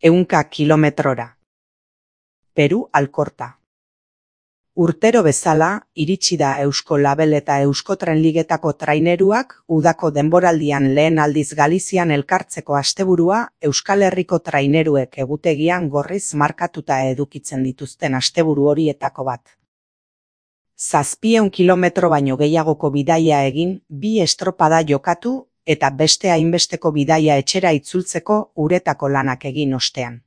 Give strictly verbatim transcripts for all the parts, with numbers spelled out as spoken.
ehunka kilometrora. Peru Alkorta. Urtero bezala, iritsi da Eusko Label eta Euskotren Ligetako traineruak udako denboraldian lehen aldiz Galizian elkartzeko asteburua Euskal Herriko traineruek egutegian gorriz markatuta edukitzen dituzten asteburu horietako bat. Zazpieun kilometro baino gehiagoko bidaia egin, bi estropada jokatu eta beste hainbesteko bidaia etxera itzultzeko uretako lanak egin ostean.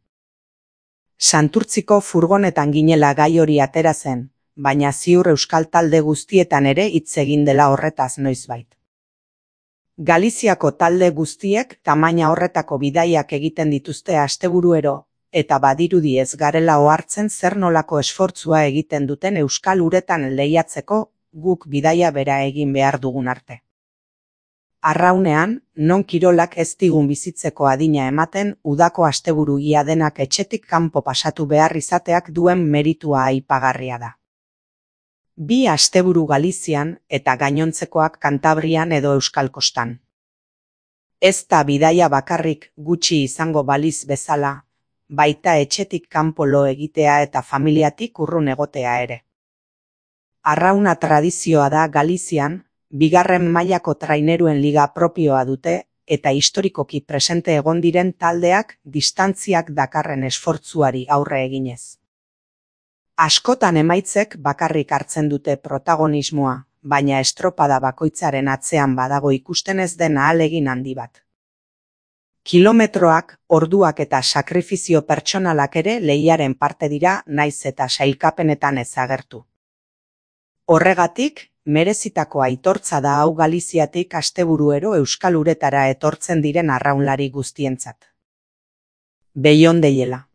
Santurtziko furgonetan ginela gai hori atera zen, baina ziur euskal talde guztietan ere hitz egin dela horretaz noizbait. Galiziako talde guztiek tamaina horretako bidaiak egiten dituzte asteburuero, eta badirudi ez garela ohartzen zer nolako esfortzua egiten duten euskal uretan lehiatzeko guk bidaia bera egin behar dugun arte. Arraunean, non kirolak ez digun bizitzeko adina ematen udako asteburu ia denak etxetik kanpo pasatu behar izateak duen meritua aipagarria da. Bi asteburu Galizian eta gainontzekoak Kantabrian edo Euskal Kostan. Ez da bidaia bakarrik gutxi izango baliz bezala, baita etxetik kanpo lo egitea eta familiatik urrun egotea ere. Arrauna tradizioa da Galizian, bigarren mailako traineruen liga propioa dute eta historikoki presente egon diren taldeak distantziak dakarren esfortzuari aurre eginez. Askotan emaitzek bakarrik hartzen dute protagonismoa, baina estropada bakoitzaren atzean badago ikusten ez den ahalegin handi bat. Kilometroak, orduak eta sakrifizio pertsonalak ere lehiaren parte dira naiz eta sailkapenetan ezagertu. Horregatik, merezitako aitortza da hau Galiziatik asteburuero euskal uretara etortzen diren arraunlari guztientzat. Beiondeiela.